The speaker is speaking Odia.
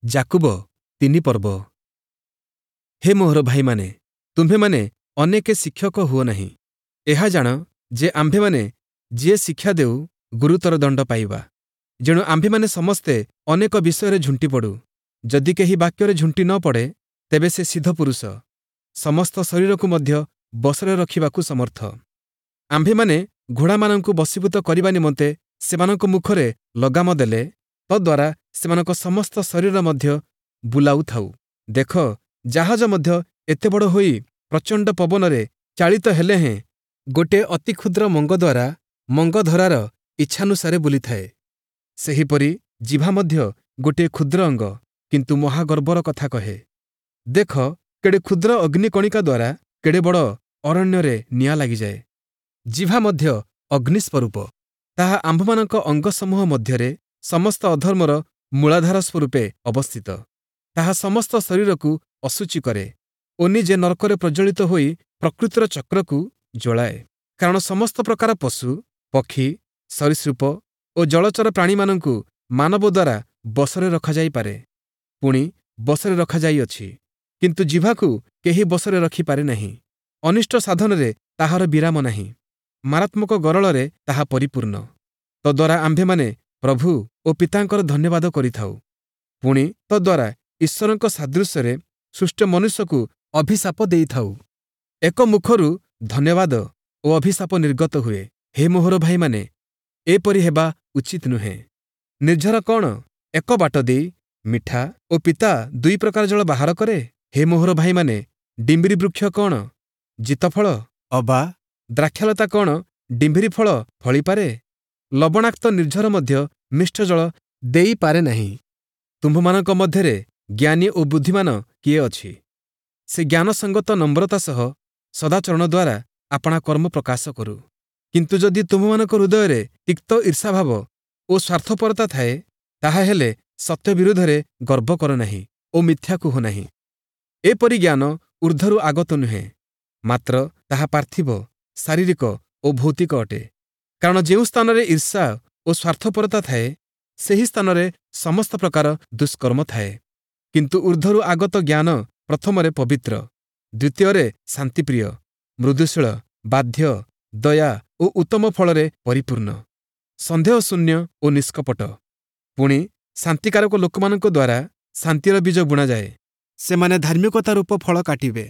ଯାକୁବ ତିନି ପର୍ବ। ହେ ମୋହର ଭାଇମାନେ, ତୁମ୍ଭେମାନେ ଅନେକେ ଶିକ୍ଷକ ହୁଅ ନାହିଁ। ଏହା ଜାଣ ଯେ ଆମ୍ଭେମାନେ ଯିଏ ଶିକ୍ଷା ଦେଉ, ଗୁରୁତର ଦଣ୍ଡ ପାଇବା। ଯେଣୁ ଆମ୍ଭେମାନେ ସମସ୍ତେ ଅନେକ ବିଷୟରେ ଝୁଣ୍ଟି ପଡ଼ୁ। ଯଦି କେହି ବାକ୍ୟରେ ଝୁଣ୍ଟି ନ ପଡ଼େ, ତେବେ ସେ ସିଦ୍ଧ ପୁରୁଷ, ସମସ୍ତ ଶରୀରକୁ ମଧ୍ୟ ବଶରେ ରଖିବାକୁ ସମର୍ଥ। ଆମ୍ଭେମାନେ ଘୋଡ଼ାମାନଙ୍କୁ ବଶୀଭୂତ କରିବା ନିମନ୍ତେ ସେମାନଙ୍କ ମୁଖରେ ଲଗାମ ଦେଲେ ତଦ୍ୱାରା ସେମାନଙ୍କ ସମସ୍ତ ଶରୀର ମଧ୍ୟ ବୁଲାଉଥାଉ। ଦେଖ, ଜାହାଜ ମଧ୍ୟ ଏତେ ବଡ଼ ହୋଇ ପ୍ରଚଣ୍ଡ ପବନରେ ଚାଳିତ ହେଲେ ହେଁ ଗୋଟିଏ ଅତି କ୍ଷୁଦ୍ର ମଙ୍ଗ ଦ୍ୱାରା ମଙ୍ଗଧରାର ଇଚ୍ଛାନୁସାରେ ବୁଲିଥାଏ। ସେହିପରି ଜିଭା ମଧ୍ୟ ଗୋଟିଏ କ୍ଷୁଦ୍ର ଅଙ୍ଗ, କିନ୍ତୁ ମହାଗର୍ବର କଥା କହେ। ଦେଖ, କେଡ଼େ କ୍ଷୁଦ୍ର ଅଗ୍ନିକଣିକା ଦ୍ୱାରା କେଡ଼େ ବଡ଼ ଅରଣ୍ୟରେ ନିଆଁ ଲାଗିଯାଏ। ଜିଭା ମଧ୍ୟ ଅଗ୍ନିସ୍ୱରୂପ। ତାହା ଆମ୍ଭମାନଙ୍କ ଅଙ୍ଗସମୂହ ମଧ୍ୟରେ ସମସ୍ତ ଅଧର୍ମର ମୂଳାଧାର ସ୍ୱରୂପେ ଅବସ୍ଥିତ। ତାହା ସମସ୍ତ ଶରୀରକୁ ଅଶୁଚି କରେ ଓ ନିଜେ ନର୍କରେ ପ୍ରଜ୍ୱଳିତ ହୋଇ ପ୍ରକୃତିର ଚକ୍ରକୁ ଜ୍ୱଳାଏ। କାରଣ ସମସ୍ତ ପ୍ରକାର ପଶୁ, ପକ୍ଷୀ, ସରୀସୃପ ଓ ଜଳଚର ପ୍ରାଣୀମାନଙ୍କୁ ମାନବ ଦ୍ୱାରା ବଶରେ ରଖାଯାଇପାରେ, ପୁଣି ବଶରେ ରଖାଯାଇଅଛି। କିନ୍ତୁ ଜିଭାକୁ କେହି ବଶରେ ରଖିପାରେ ନାହିଁ। ଅନିଷ୍ଟ ସାଧନରେ ତାହାର ବିରାମ ନାହିଁ। ମାରାତ୍ମକ ଗରଳରେ ତାହା ପରିପୂର୍ଣ୍ଣ। ତଦ୍ୱାରା ଆମ୍ଭେମାନେ ପ୍ରଭୁ ଓ ପିତାଙ୍କର ଧନ୍ୟବାଦ କରିଥାଉ, ପୁଣି ତଦ୍ୱାରା ଈଶ୍ୱରଙ୍କ ସାଦୃଶ୍ୟରେ ସୃଷ୍ଟ ମନୁଷ୍ୟକୁ ଅଭିଶାପ ଦେଇଥାଉ। ଏକ ମୁଖରୁ ଧନ୍ୟବାଦ ଓ ଅଭିଶାପ ନିର୍ଗତ ହୁଏ। ହେ ମୋହର ଭାଇମାନେ, ଏପରି ହେବା ଉଚିତ ନୁହେଁ। ନିର୍ଝର କ'ଣ ଏକ ବାଟ ଦେଇ ମିଠା ଓ ପିତା ଦୁଇ ପ୍ରକାର ଜଳ ବାହାର କରେ? ହେ ମୋହର ଭାଇମାନେ, ଡିମ୍ବିରି ବୃକ୍ଷ କ'ଣ ଜିତଫଳ ଅବା ଦ୍ରାକ୍ଷାଲତା କ'ଣ ଡିମ୍ବିରି ଫଳ ଫଳିପାରେ? ଲବଣାକ୍ତ ନିର୍ଝର ମଧ୍ୟ ମିଷ୍ଟ ଜଳ ଦେଇପାରେ ନାହିଁ। ତୁମ୍ଭମାନଙ୍କ ମଧ୍ୟରେ ଜ୍ଞାନୀ ଓ ବୁଦ୍ଧିମାନ କିଏ ଅଛି? ସେ ଜ୍ଞାନସଙ୍ଗତ ନମ୍ରତା ସହ ସଦାଚରଣ ଦ୍ୱାରା ଆପଣା କର୍ମ ପ୍ରକାଶ କରୁ। କିନ୍ତୁ ଯଦି ତୁମ୍ଭମାନଙ୍କ ହୃଦୟରେ ତିକ୍ତ ଈର୍ଷାଭାବ ଓ ସ୍ୱାର୍ଥପରତା ଥାଏ, ତାହାହେଲେ ସତ୍ୟ ବିରୁଦ୍ଧରେ ଗର୍ବ କର ନାହିଁ ଓ ମିଥ୍ୟା କୁହ ନାହିଁ। ଏପରି ଜ୍ଞାନ ଊର୍ଦ୍ଧ୍ୱରୁ ଆଗତ ନୁହେଁ, ମାତ୍ର ତାହା ପାର୍ଥିବ, ଶାରୀରିକ ଓ ଭୌତିକ ଅଟେ। କାରଣ ଯେଉଁ ସ୍ଥାନରେ ଈର୍ଷା ଓ ସ୍ୱାର୍ଥପରତା ଥାଏ, ସେହି ସ୍ଥାନରେ ସମସ୍ତ ପ୍ରକାର ଦୁଷ୍କର୍ମ ଥାଏ। କିନ୍ତୁ ଊର୍ଦ୍ଧ୍ୱରୁ ଆଗତ ଜ୍ଞାନ ପ୍ରଥମରେ ପବିତ୍ର, ଦ୍ୱିତୀୟରେ ଶାନ୍ତିପ୍ରିୟ, ମୃଦୁଶୀଳ, ବାଧ୍ୟ, ଦୟା ଓ ଉତ୍ତମ ଫଳରେ ପରିପୂର୍ଣ୍ଣ, ସନ୍ଦେହଶୂନ୍ୟ ଓ ନିଷ୍କପଟ। ପୁଣି ଶାନ୍ତିକାରକ ଲୋକମାନଙ୍କ ଦ୍ୱାରା ଶାନ୍ତିର ବୀଜ ବୁଣାଯାଏ। ସେମାନେ ଧାର୍ମିକତା ରୂପ ଫଳ କାଟିବେ।